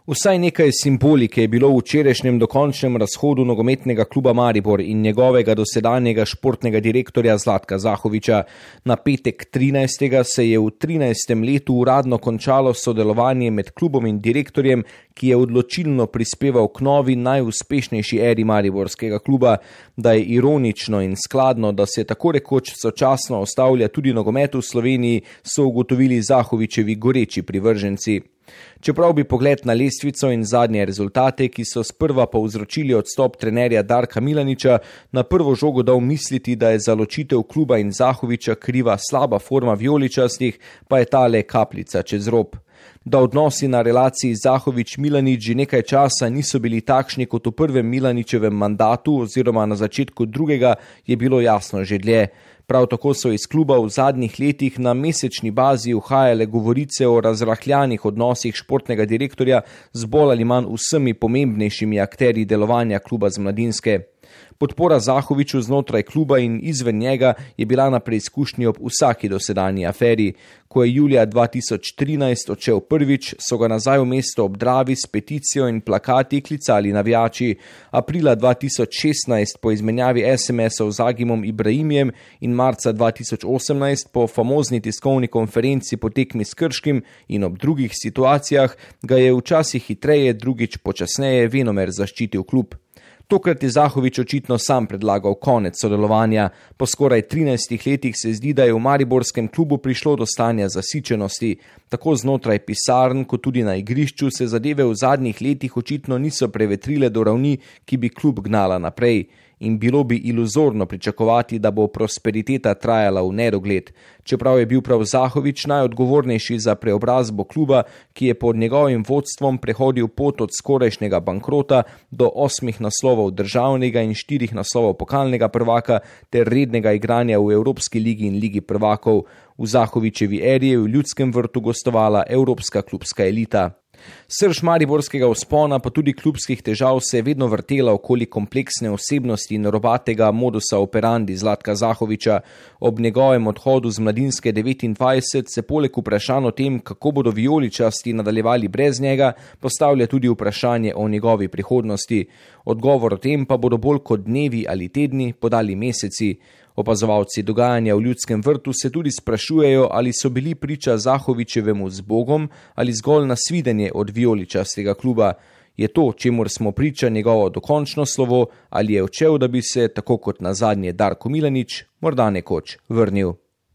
Vsaj nekaj simbolike je bilo v včerajšnjem dokončnem razhodu nogometnega kluba Maribor in njegovega dosedanjega športnega direktorja Zlatka Zahoviča. Na petek 13. se je v 13. letu uradno končalo sodelovanje med klubom in direktorjem, ki je odločilno prispeval k novi najuspešnejši eri mariborskega kluba. Da je ironično in skladno, da se tako rekoč sočasno ustavlja tudi nogomet v Sloveniji, so ugotovili Zahovičevi goreči privrženci. Čeprav bi pogled na lestvico in zadnje rezultate, ki so sprva povzročili odstop trenerja Darka Milaniča, na prvo žogo dal misliti, da je za ločitev kluba in Zahoviča kriva slaba forma vijoličastih, pa je ta le kapljica čez rob. Da odnosi na relaciji Zahovič-Milanič že nekaj časa niso bili takšni kot v prvem Milaničevem mandatu oziroma na začetku drugega, je bilo jasno že dlje. Prav tako so iz kluba v zadnjih letih na mesečni bazi uhajale govorice o razrahljanih odnosih športnega direktorja z bolj ali manj vsemi pomembnejšimi akterji delovanja kluba z Mladinske. Podpora Zahoviču znotraj kluba in izven njega je bila na preizkušnji ob vsaki dosedanji aferi. Ko je julija 2013 odšel prvič, so ga nazaj v mesto ob Dravi s peticijo in plakati klicali navijači. Aprila 2016 po izmenjavi SMS-ov z Agimom Ibrahimjem in marca 2018 po famozni tiskovni konferenci po tekmi s Krškim in ob drugih situacijah ga je včasih hitreje, drugič počasneje venomer zaščitil klub. Tokrat je Zahovič očitno sam predlagal konec sodelovanja. Po skoraj 13 letih se zdi, da je v mariborskem klubu prišlo do stanja zasičenosti. Tako znotraj pisarn, kot tudi na igrišču se zadeve v zadnjih letih očitno niso prevetrile do ravni, ki bi klub gnala naprej. In bilo bi iluzorno pričakovati, da bo prosperiteta trajala v nedogled. Čeprav je bil prav Zahovič najodgovornejši za preobrazbo kluba, ki je pod njegovim vodstvom prehodil pot od skorajšnjega bankrota do 8 naslovov državnega in 4 naslovov pokalnega prvaka ter rednega igranja v Evropski ligi in ligi prvakov. V Zahovičevi eri je v Ljudskem vrtu gostovala evropska klubska elita. Srž mariborskega vzpona pa tudi klubskih težav se je vedno vrtela okoli kompleksne osebnosti in robatega modusa operandi Zlatka Zahoviča. Ob njegovem odhodu z Mladinske 29 se poleg vprašanj o tem, kako bodo vijoličasti nadaljevali brez njega, postavlja tudi vprašanje o njegovi prihodnosti. Odgovor o tem pa bodo bolj kot dnevi ali tedni podali meseci. Opazovalci dogajanja v Ljudskem vrtu se tudi sprašujejo, ali so bili priča Zahovičevemu zbogom ali zgolj nasvidenje od vijoličastega kluba. Je to, čemur smo priča, njegovo dokončno slovo, ali je odšel, da bi se, tako kot nazadnje Darko Milanič, morda nekoč vrnil.